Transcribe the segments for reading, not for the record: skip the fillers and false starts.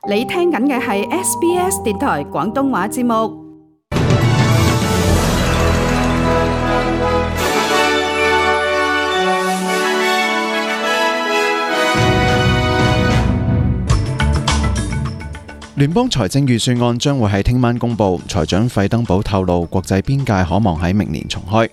你聽緊嘅係 SBS 電台廣東話節目。聯邦財政預算案將會喺聽晚公布，財長費登堡透露國際邊界可望喺明年重開。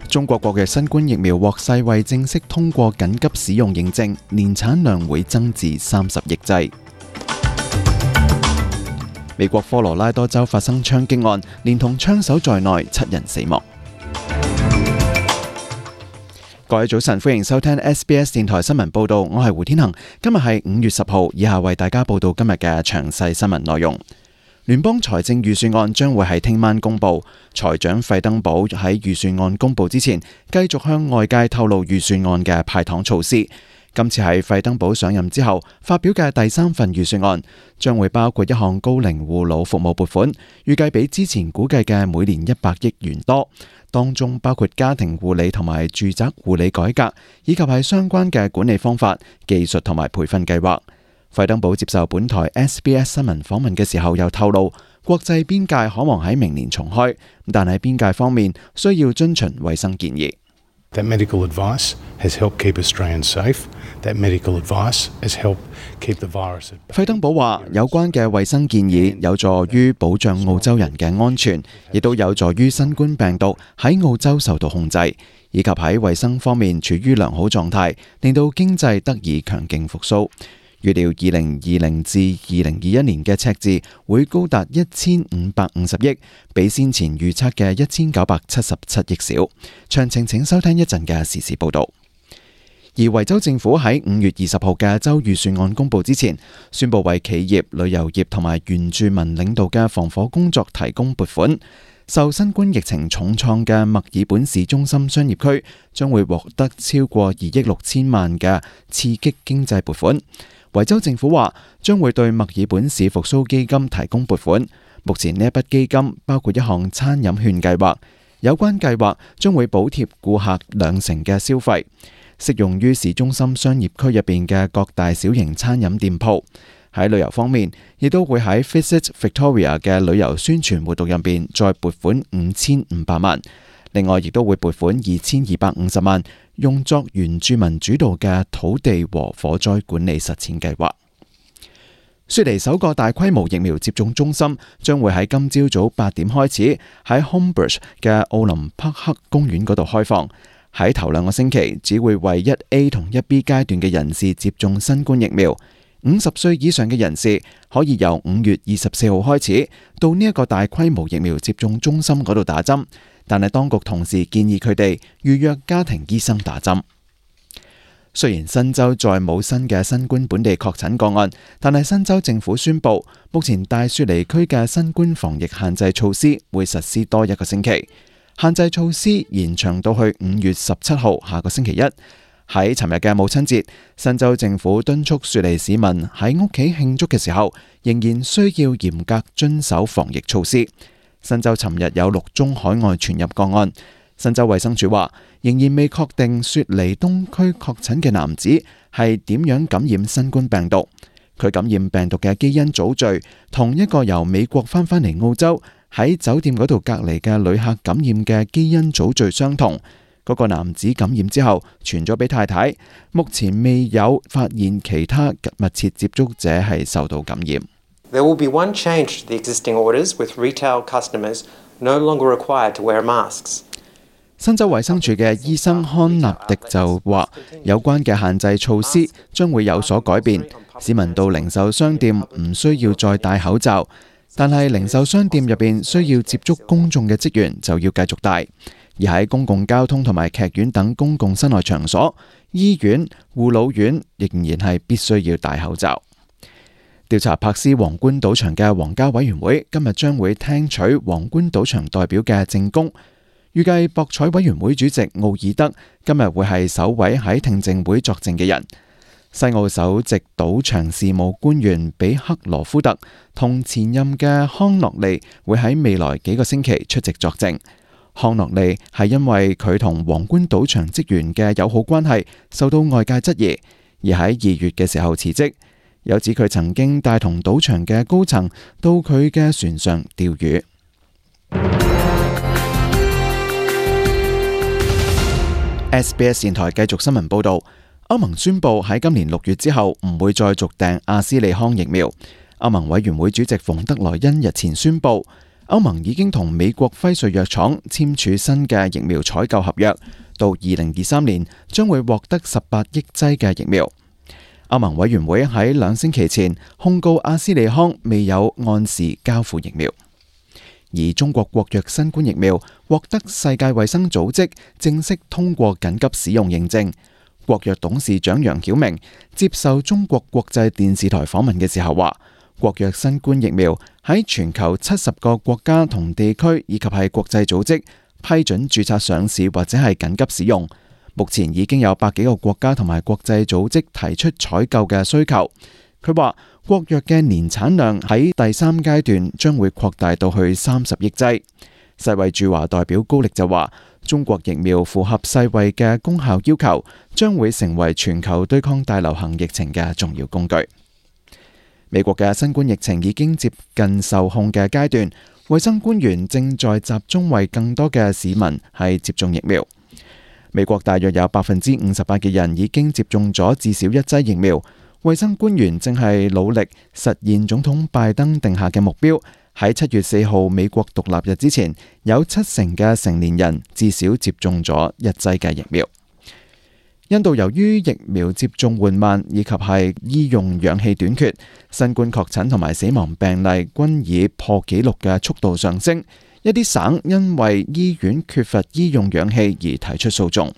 中國國嘅新冠疫苗獲世衛正式通過緊急使用認證，年產量會增至30億劑。美國科羅拉多州發生槍擊案，連同槍手在內7人死亡。各位早晨，歡迎收聽 SBS 電台新聞報道，我係胡天恒。今日係5月10號，以下為大家報道今日嘅詳細新聞內容。聯邦財政預算案將會喺聽晚公布，財長費登堡喺預算案公布之前，繼續向外界透露預算案嘅派糖措施。今次係費登堡上任之後發表嘅第3份預算案，將會包括一項高齡護老服務撥款，預計比之前估計嘅每年100億元多，當中包括家庭護理同埋住宅護理改革，以及係相關嘅管理方法、技術同埋培訓計劃。費登堡接受本台 SBS 新聞訪問嘅時候又透露，國際邊界可望喺明年重開，但喺邊界方面需要遵循衛生建議。That medical advice has helped keep Australians safe. That medical advice has helped keep the virus at bay. 費登堡話，有關嘅衛生建議有助於保障澳洲人嘅安全，亦都有助於新冠病毒喺澳洲受到控制，以及喺衛生方面處於良好狀態，令到經濟得以強勁復甦。預料2020至2021年嘅赤字會高達1550億，比先前預測嘅1977億少。詳情請收聽一陣嘅時事報導。而維州政府喺5月20號嘅州預算案公佈之前，宣布為企業、旅遊業同埋原住民領導嘅防火工作提供撥款。受新冠疫情重創嘅墨爾本市中心商業區將會獲得超過2億6千萬嘅刺激經濟撥款。維州政府話將會對墨爾本市復甦基金提供撥款。目前呢一筆基金包括一項餐飲券計劃，有關計劃將會補貼顧客20%嘅消費，適用於市中心商業區入邊嘅各大小型餐飲店鋪。喺旅遊方面，亦都會喺 Visit Victoria 嘅旅遊宣傳活動入邊再撥款5500萬。另外，亦都會撥款2250萬，用作原住民主導嘅土地和火災管理實踐計劃。雪梨首個大規模疫苗接種中心將會喺今朝早8點開始喺 Homebush 嘅奧林匹克公園嗰度開放。喺頭2個星期，只會為1A 同1B 階段嘅人士接種新冠疫苗。50歲以上嘅人士可以由5月24號開始到呢一個大規模疫苗接種中心嗰度打針，但係當局同時建議佢哋預約家庭醫生打針。雖然新州再冇新嘅新冠本地確診個案，但係新州政府宣布，目前大雪梨區嘅新冠防疫限制措施會實施多1個星期，限制措施延長到去5月17號下個星期一。喺尋日嘅母親節，新州政府敦促雪梨市民喺屋企慶祝嘅時候，仍然需要嚴格遵守防疫措施。新州尋日有6宗海外傳入個案。新州衛生署話，仍然未確定雪梨東區確診嘅男子係點樣感染新冠病毒。佢感染病毒嘅基因組序同一個由美國翻嚟澳洲喺酒店嗰度隔離嘅旅客感染嘅基因組序相同。嗰個男子感染之後傳咗俾太太，目前未有發現其他密切接觸者係受到感染。There will be one change to the existing orders, with retail customers no longer required to wear masks. 新州衛生署嘅醫生康納迪就話，有關嘅限制措施將會有所改變，市民到零售商店唔需要再戴口罩，但係零售商店入邊需要接觸公眾嘅職員就要繼續戴。而喺公共交通同埋劇院等公共室內場所、醫院、護老院仍然係必須要戴口罩。調查柏斯皇冠賭場嘅皇家委員會今日將會聽取皇冠賭場代表嘅證供，預計博彩委員會主席奧爾德今日會係首位喺聽證會作證嘅人。西澳首席賭場事務官員比克羅夫特同前任嘅康諾利會喺未來幾個星期出席作證。康諾利係因為佢同皇冠賭場職員嘅友好關係受到外界質疑，而喺2月嘅時候辭職。有指佢曾經帶同賭場嘅高層到佢嘅船上釣魚。SBS 電台繼續新聞報導，歐盟宣布喺今年6月之後唔會再續訂阿斯利康疫苗。歐盟委員會主席馮德萊恩日前宣布，歐盟已經同美國輝瑞藥廠簽署新嘅疫苗採購合約，到2023年將會獲得18億劑嘅疫苗。歐盟委員會喺2星期前控告阿斯利康未有按時交付疫苗，而中國國藥新冠疫苗獲得世界衛生組織正式通過緊急使用認證。國藥董事長楊曉明接受中國國際電視台訪問嘅時候話，國藥新冠疫苗喺全球70個國家同地區以及係國際組織批准註冊上市或者係緊急使用。目前已經有100幾個國家同埋國際組織提出採購嘅需求。佢話國藥嘅年產量喺第3階段將會擴大到去30億劑。世衛駐華代表高力就話，中國疫苗符合世衛嘅功效要求，將會成為全球對抗大流行疫情嘅重要工具。美國嘅新冠疫情已經接近受控嘅階段，衛生官員正在集中為更多嘅市民係接種疫苗。美國大約有58%嘅人已經接種咗至少1劑疫苗。衛生官員正係努力實現總統拜登定下嘅目標，喺7月4號美國獨立日之前，有70%嘅成年人至少接種咗1劑嘅疫苗。印度由於疫苗接種緩慢以及係醫用氧氣短缺，新冠確診同埋死亡病例均以破紀錄嘅速度上升。一啲省因為醫院缺乏醫用氧氣而提出訴訟。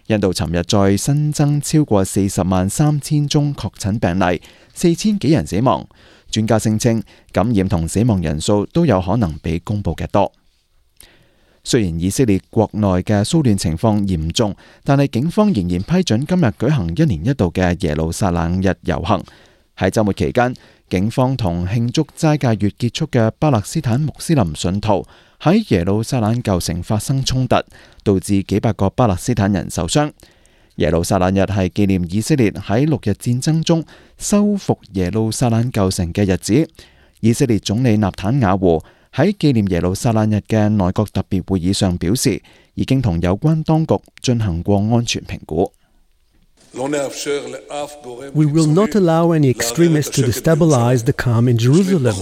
印度尋日再新增超過403000宗確診病例，4000幾人死亡。專家聲稱感染同死亡人數都有可能比公佈嘅多。雖然以色列國內嘅騷亂情況嚴重，但係警方仍然批准今日舉行1年1度嘅耶路撒冷日遊行。喺週末期間，警方同慶祝齋戒月結束嘅巴勒斯坦穆斯林信徒喺耶路撒冷舊城發生衝突，導致幾百個巴勒斯坦人受傷。耶路撒冷日係紀念以色列喺6日戰爭中收復耶路撒冷舊城嘅日子。以色列總理納坦雅胡喺紀念耶路撒冷日嘅內閣特別會議上表示，已經同有關當局進行過安全評估。We will not allow any extremists to destabilize the calm in Jerusalem.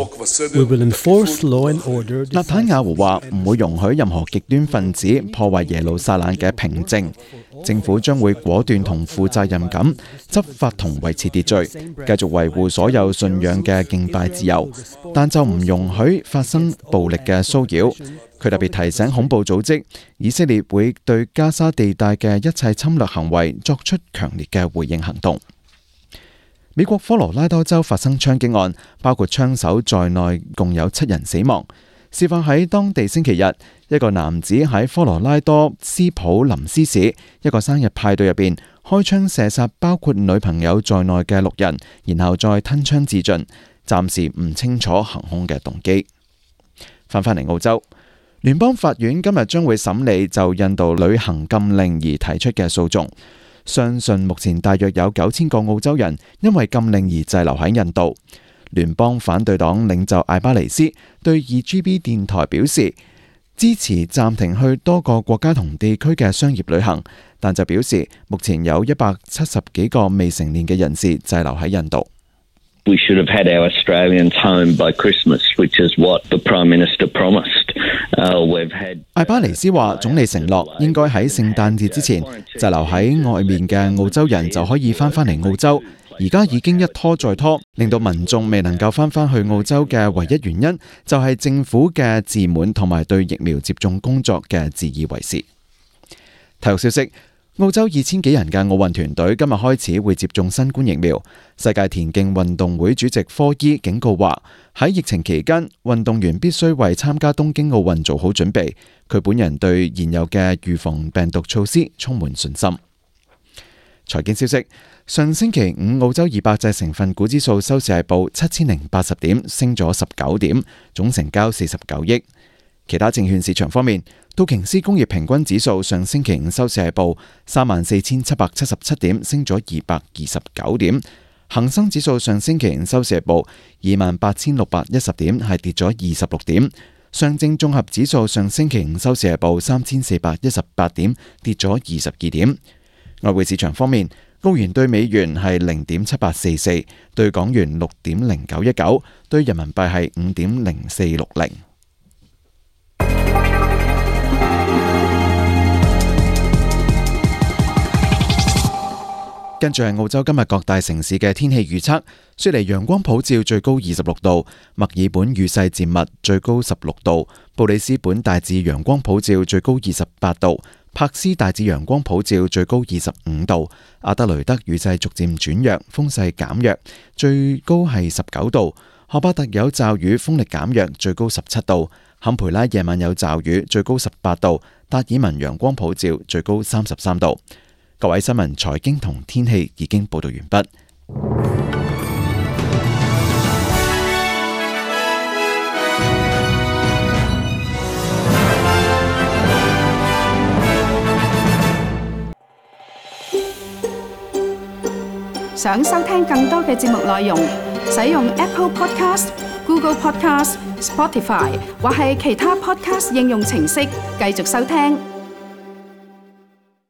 We will enforce law and order. 納坦雅胡話唔會容許任何極端分子破壞耶路撒冷嘅平靜。政府將會果斷同負責任咁執法同維持秩序，繼續維護所有信仰嘅敬拜自由，但就唔容許發生暴力嘅騷擾。佢特別提醒恐怖組織，以色列會對加沙地帶嘅一切侵略行為作出強烈嘅回應行動。美國科羅拉多州發生槍擊案，包括槍手在內，共有7人死亡。事發喺當地星期日，一個男子喺科羅拉多斯普林斯市一個生日派對入邊開槍射殺包括女朋友在內嘅6人，然後再吞槍自盡。暫時唔清楚行兇嘅動機。翻返嚟澳洲，聯邦法院今日將會審理就印度旅行禁令而提出嘅訴訟。相信目前大約有9000個澳洲人因為禁令而滯留喺印度。聯邦反對黨領袖艾巴尼斯對 2GB 電台表示，支持暫停去多個國家同地區嘅商業旅行，但就表示目前有170幾個未成年嘅人士滯留喺印度。We should have had our Australians home by Christmas, which is what the Prime Minister promised. We've had. 艾巴尼斯話，總理承諾應該喺聖誕節之前滯留喺外面嘅澳洲人就可以翻返嚟澳洲。而家已經一拖再拖，令到民眾未能夠翻返去澳洲嘅唯一原因，就係政府嘅自滿同埋對疫苗接種工作嘅自以為是。體育消息，澳洲2000幾人嘅奧運團隊今日開始會接種新冠疫苗。世界田徑運動會主席科伊警告話，喺疫情期間，運動員必須為參加東京奧運做好準備。佢本人對現有嘅預防病毒措施充滿信心。財經消息，上星期5澳洲200隻成分股指數收市係報7080點，升咗19點，總成交49億。其他證券市場方面，道瓊斯工業平均指數上星期五收市係報34,777點，升咗229點；恒生指數上星期五收市係報28,610點，係跌咗26點；上證綜合指數上星期五收市係報3,418點，跌咗22點。外匯市場方面，澳元對美元係0.7844，對港元6.0919，對人民幣係5.0460。跟住係澳洲今日各大城市嘅天氣預測：雪梨陽光普照，最高26度；墨爾本雨勢漸密，最高16度；布里斯本大致陽光普照，最高28度；柏斯大致陽光普照，最高25度；阿德雷德雨勢逐漸轉弱，風勢減弱，最高係19度；荷巴特有驟雨，風力減弱，最高17度；坎培拉夜晚有驟雨，最高18度；達爾文陽光普照，最高33度。各位新聞、財經同天氣已經報道完畢。想收聽更多嘅節目內容，使用 Apple Podcast、Google Podcast、Spotify 或係其他 Podcast 應用程式繼續收聽。